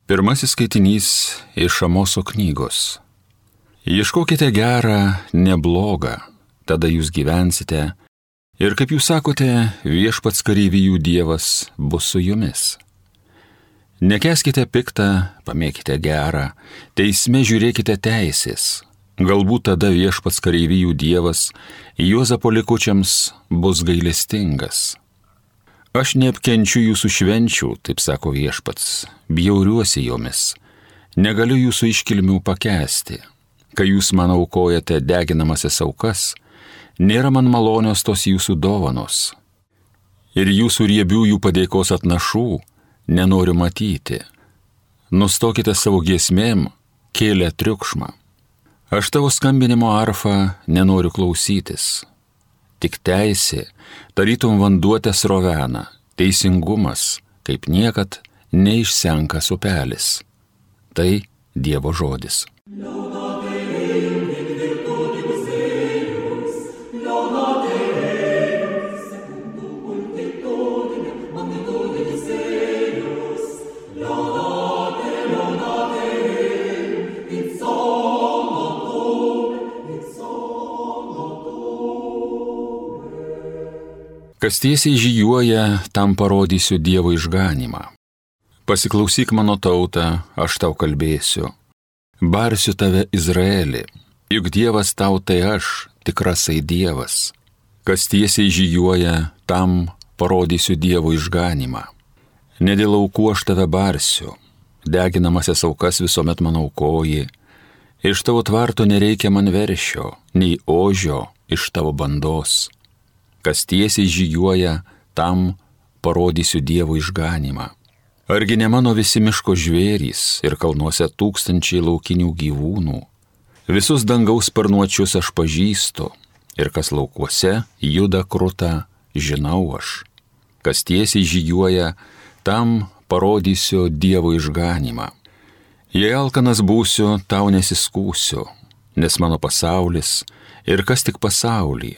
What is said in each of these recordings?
Pirmasis skaitinys iš Amoso knygos. Ieškokite gerą, ne blogą, tada jūs gyvensite, ir kaip jūs sakote, viešpats kareivijų Dievas bus su jumis. Nekęskite piktą, pamėkite gerą, teisme žiūrėkite teisės, galbūt tada viešpats kareivijų Dievas Juozapo likučiams bus gailestingas. Aš neapkenčiu jūsų švenčių, taip sako viešpats, bjauriuosi jomis, negaliu jūsų iškilmių pakęsti. Kai jūs man aukojate deginamasias aukas, nėra man malonios tos jūsų dovanos. Ir jūsų riebiųjų padėkos atnašų nenoriu matyti. Nustokite savo giesmėm, kėlę triukšmą. Aš tavo skambinimo arfą nenoriu klausytis. Tik teisė, tarytum vanduo tesrovena, teisingumas, kaip niekad neišsenkas upelis. Tai Dievo žodis. Kas tiesiai žygiuoja, tam parodysiu Dievo išganymą. Pasiklausyk mano tautą, aš tau kalbėsiu. Barsiu tave Izraelį, juk Dievas tau tai aš, tikrasai Dievas. Kas tiesiai žygiuoja, tam parodysiu Dievo išganymą. Ne dėl aukų aš tave barsiu, deginamasias aukas visuomet man aukoji. Iš tavo tvarto nereikia man veršio, nei ožio iš tavo bandos. Kas tiesiai žygiuoja, tam parodysiu Dievo išganymą. Argi ne mano visi miško žvėrys ir kalnuose tūkstančiai laukinių gyvūnų? Visus dangaus sparnuočius aš pažįstu, ir kas laukuose juda kruta, žinau aš. Kas tiesiai žygiuoja, tam parodysiu Dievo išganymą. Jei alkanas būsiu, tau nesiskūsiu, nes mano pasaulis ir kas tik pasaulį.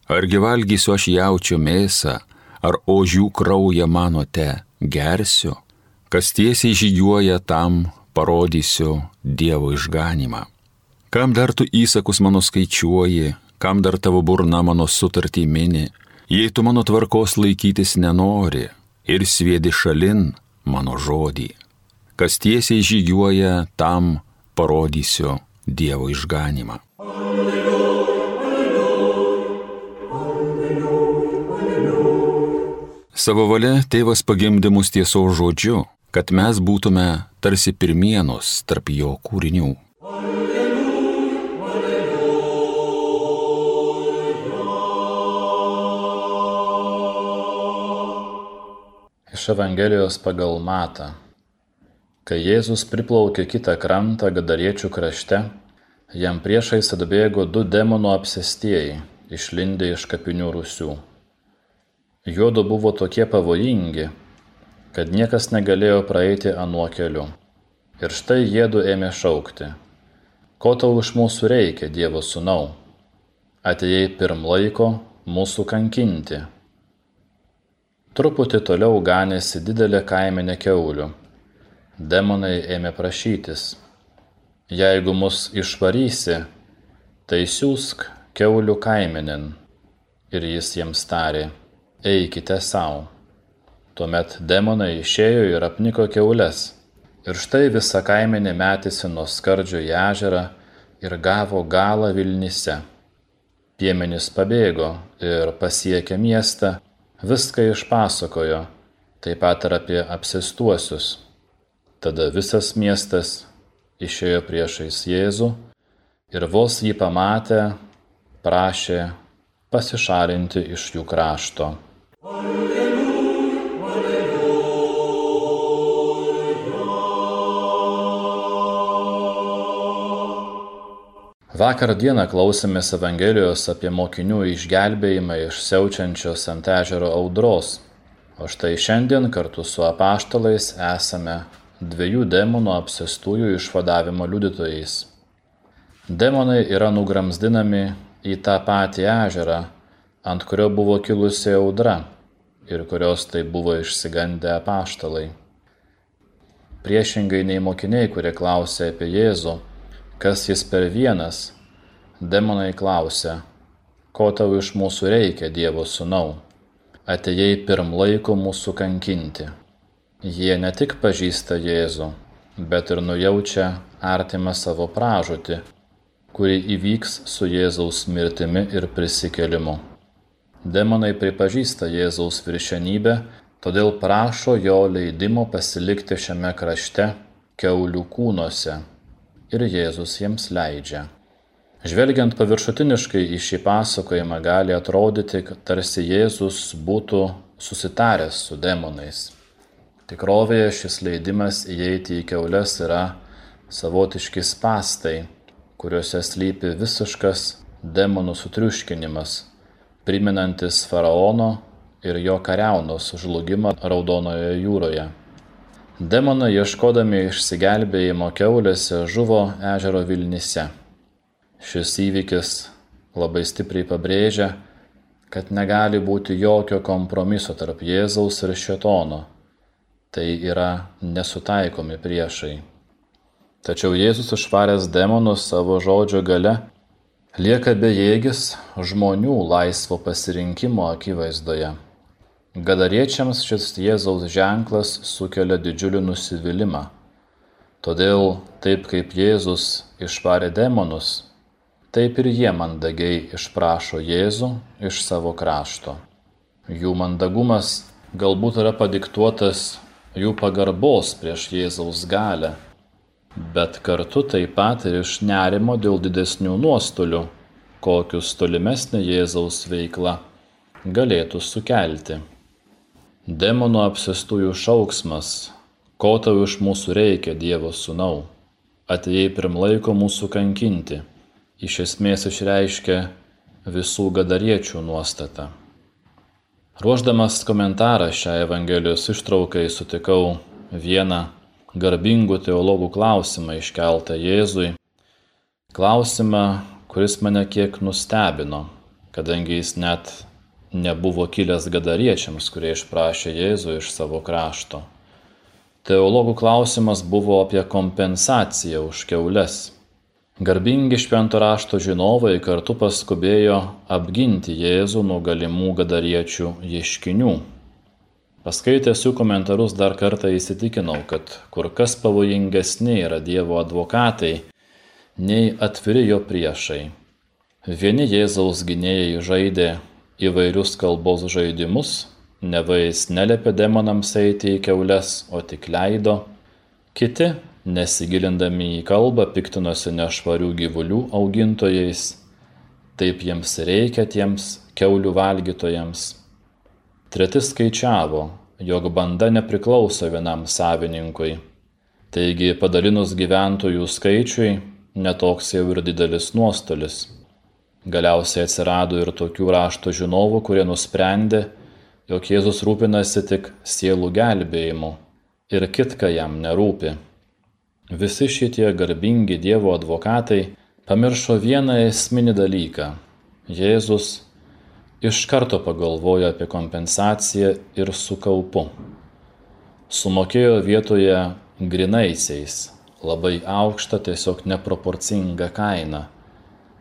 Argi valgysiu aš jaučio mėsą, ar ožių kraują manote gersiu? Kas tiesiai žygiuoja, tam parodysiu Dievo išganymą. Kam dar tu įsakus mano skaičiuoji, kam dar tavo burna mano sutartį mini, jei tu mano tvarkos laikytis nenori ir sviedi šalin mano žodį. Kas tiesiai žygiuoja, tam parodysiu Dievo išganymą. Savo valia tėvas pagimdė mus tiesos žodžiu, kad mes būtume tarsi pirmienos tarp jo kūrinių. Iš Evangelijos pagal Matą. Kai Jėzus priplaukė kitą krantą Gadariečių krašte, jam priešais atbėgo 2 demonų apsėstieji, išlindę iš kapinių rūsių. Juodu buvo tokie pavojingi, kad niekas negalėjo praeiti anuo keliu. Ir štai jiedu ėmė šaukti: ko tau iš mūsų reikia, Dievo sūnau? Atėjai pirm laiko mūsų kankinti. Truputį toliau ganėsi didelė kaimenė kiaulių. Demonai ėmė prašytis: jeigu mus išvarysi, tai siųsk kiaulių kaimenėn. Ir jis jiems tarė: eikite savo. Tuomet demonai išėjo ir apniko kiaules. Ir štai visa kaimenė metėsi nuo skardžio į ežerą ir gavo galą Vilnyse. Piemenys pabėgo ir pasiekę miestą, viską išpasakojo, taip pat ir apie apsėstuosius. Tada visas miestas išėjo priešais Jėzų ir vos jį pamatę, prašė pasišalinti iš jų krašto. Vakar dieną klausėmės Evangelijos apie mokinių išgelbėjimą iš siaučiančios ant ežero audros, o štai šiandien kartu su apaštalais esame 2 demonų apsėstųjų išvadavimo liudytojais. Demonai yra nugramzdinami į tą patį ežerą, ant kurio buvo kilusi audra ir kurios tai buvo išsigandę apaštalai. Priešingai nei mokiniai, kurie klausė apie Jėzų, kas jis per vienas, demonai klausė, ko tau iš mūsų reikia, Dievo sūnau, atėjai pirm laiko mūsų kankinti. Jie ne tik pažįsta Jėzų, bet ir nujaučia artimą savo pražūtį, kuri įvyks su Jėzaus mirtimi ir prisikėlimu. Demonai pripažįsta Jėzaus viršenybę, todėl prašo jo leidimo pasilikti šiame krašte kiaulių kūnuose, ir Jėzus jiems leidžia. Žvelgiant paviršutiniškai į šį pasakojimą gali atrodyti, kad tarsi Jėzus būtų susitaręs su demonais. Tikrovėje šis leidimas įeiti į kiaules yra savotiški spąstai, kuriuose slypi visiškas demonų sutriuškinimas, primenantis faraono ir jo kariaunos žlugimą Raudonojoje jūroje. Demonai, ieškodami išsigelbėjimo kiaulėse, žuvo ežero Vilnyse. Šis įvykis labai stipriai pabrėžia, kad negali būti jokio kompromiso tarp Jėzaus ir šėtono. Tai yra nesutaikomi priešai. Tačiau Jėzus išvaręs demonus savo žodžio gale lieka bejėgis žmonių laisvo pasirinkimo akivaizdoje. Gadariečiams šis Jėzaus ženklas sukelia didžiulį nusivylimą. Todėl taip kaip Jėzus išvarė demonus, taip ir jie mandagiai išprašo Jėzų iš savo krašto. Jų mandagumas galbūt yra padiktuotas jų pagarbos prieš Jėzaus galią, bet kartu taip pat ir iš nerimo dėl didesnių nuostolių, kokius tolimesnė Jėzaus veikla galėtų sukelti. Demonų apsėstųjų šauksmas, ko tau iš mūsų reikia, Dievo sūnau, atėjai pirm laiko mūsų kankinti, iš esmės išreiškia visų gadariečių nuostatą. Ruošdamas komentarą šią Evangelijos ištraukai sutikau vieną garbingų teologų klausimą iškeltą Jėzui. Klausimą, kuris mane kiek nustebino, kadangi jis net nebuvo kilęs gadariečiams, kurie išprašė Jėzų iš savo krašto. Teologų klausimas buvo apie kompensaciją už kiaules. Garbingi švento rašto žinovai kartu paskubėjo apginti Jėzų nuo galimų gadariečių ieškinių. Paskaitęs jų komentarus dar kartą įsitikinau, kad kur kas pavojingesni yra Dievo advokatai nei atviri jo priešai. Vieni Jėzaus gynėjai žaidė įvairius kalbos žaidimus, neva jis neliepė demonams eiti į kiaules, o tik leido. Kiti, nesigilindami į kalbą, piktinosi nešvarių gyvulių augintojais, taip jiems reikia tiems kiaulių valgytojams. Treti skaičiavo, jog banda nepriklauso vienam savininkui, taigi padalinus gyventojų skaičiui, netoks jau ir didelis nuostolis. Galiausiai atsirado ir tokių rašto žinovų, kurie nusprendė, jog Jėzus rūpinasi tik sielų gelbėjimu ir kitka jam nerūpi. Visi šitie garbingi Dievo advokatai pamiršo vieną esminį dalyką. Jėzus iš karto pagalvojo apie kompensaciją ir su kaupu. Sumokėjo vietoje grynaisiais labai aukštą, tiesiog neproporcingą kainą.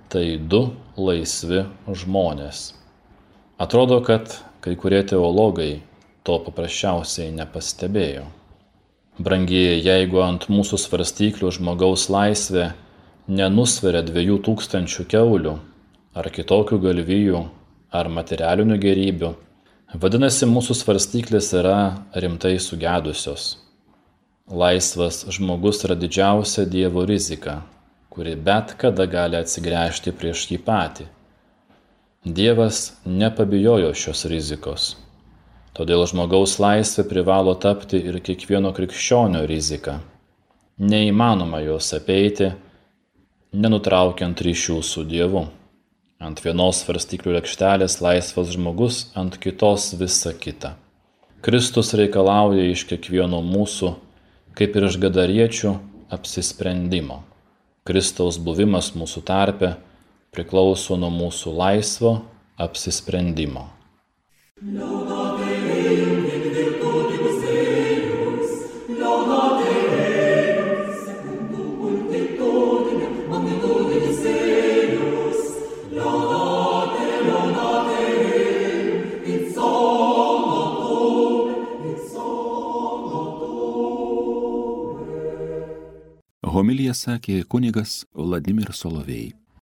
Tai 2 laisvi žmonės. Atrodo, kad kai kurie teologai to paprasčiausiai nepastebėjo. Brangieji, jeigu ant mūsų svarstyklių žmogaus laisvė nenusveria 2000 kiaulių, ar kitokių galvijų, ar materialinių gėrybių, vadinasi, mūsų svarstyklės yra rimtai sugedusios. Laisvas žmogus yra didžiausia Dievo rizika, kuri bet kada gali atsigręžti prieš jį patį. Dievas nepabijojo šios rizikos. Todėl žmogaus laisvė privalo tapti ir kiekvieno krikščionio rizika. Neįmanoma jos apeiti, nenutraukiant ryšių su Dievu. Ant vienos svarstyklių lėkštelės laisvas žmogus, ant kitos visa kita. Kristus reikalauja iš kiekvieno mūsų, kaip ir iš gadariečių, apsisprendimo. Kristaus buvimas mūsų tarpe priklauso nuo mūsų laisvo apsisprendimo. Laudateum in virtutibus eius, laudateum Homiliją sakė kunigas Vladimir Solovej.